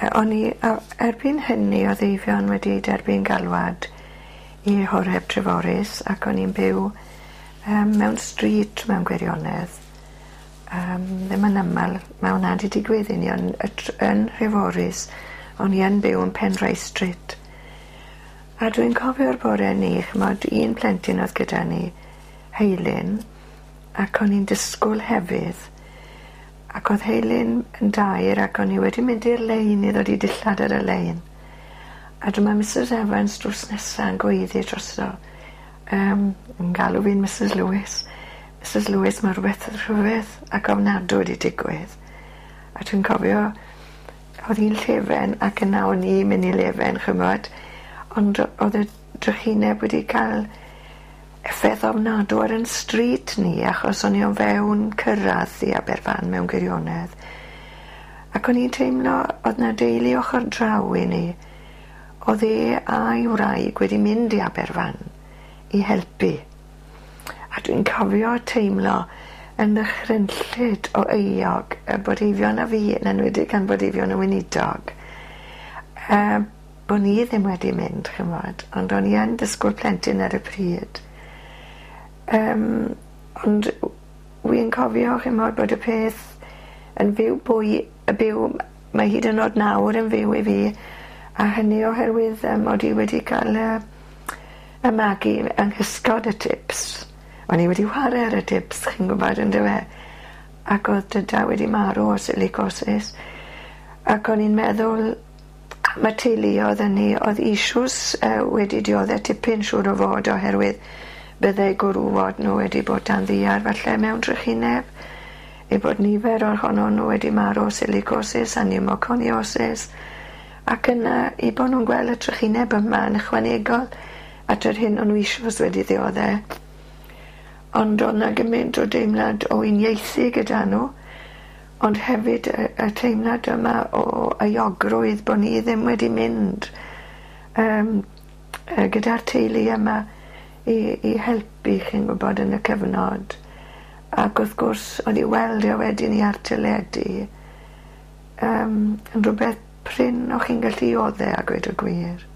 O'n i erbyn hynny o'dd Eifion wedi derbyn galwad i Horeb Treforys ac o'n i'n byw mewn stryd mewn gwirionedd. Ddim yn amal ma' wnna 'di digwydd i ni on' y yn Nhreforys o'n i yn byw yn Penrice Street. A dwi'n cofio'r bore 'ny ch'mod un plentyn o'dd gyda ni Heilyn ac o'n i'n disgwl hefydd ac o'dd Heilyn yn dair ac o'n i wedi mynd i'r lein i ddod i dillad ar y lein. A dyma Misys Evans drws nesa yn gweiddi drosto yn galw fi'n Misys Lewis. Misys Lewis ma' rwbeth rhyfedd ac ofnadw wedi digwydd. A dwi'n cofio o'dd hi'n llefen ac yna o'n i'n myn' i lefen ch'mod ond o'dd y drychineb wedi ca'l effeth ofnadw ar 'yn stryd ni achos o'n i o fewn cyrradd i Aberfan mewn gwirionedd. Ac o'n i'n teimlo o'dd 'na deulu ochor draw i ni. O'dd e a'i wraig wedi mynd i Aberfan i helpu. A dwi'n cofio teimlo yn ddychrynllyd o euog bod Eifion a fi, yn enwedig gan bod Eifion yn weinidog, bo' ni ddim wedi mynd, ch'mod, ond o'n i yn disgwyl plentyn ar y pryd. Ond wi'n cofio, ch'mod, bod y peth yn fyw bwy, y byw, mae hyd yn o'd nawr yn fyw i fi, a hynny oherwydd mod i wedi cael y magu yng nghysgod y tips. O'n i wedi chware ar y tips, chi'n gwybod, on'd yfe? Ac o'dd dyda wedi marw o silicosis. Ac o'n i'n meddwl am y teuluodd hynny, o'dd issues wedi diodde tipyn siŵr o fod oherwydd byddai gwrwod nhw wedi bod dan ddiar falle mewn trychineb, eu bod nifer ohonon nhw wedi marw o silicosis a pneumoconiosis, ac yna eu bod nhw'n gweld y trychineb yma yn ychwanegol at yr hyn o'n nhw eisoes wedi ddiodde. Ond o'dd 'na gymaint o deimlad o uniaethu gyda nhw, ond hefyd y teimlad yma o euogrwydd bo' ni ddim wedi mynd gyda'r teulu yma i helpu, chi'n gwybod, yn y cyfnod. Ac wrth gwrs, o'n i weld e wedyn i ar teledu, yn rhywbeth prin o'ch chi'n gallu odde a gweud y gwir.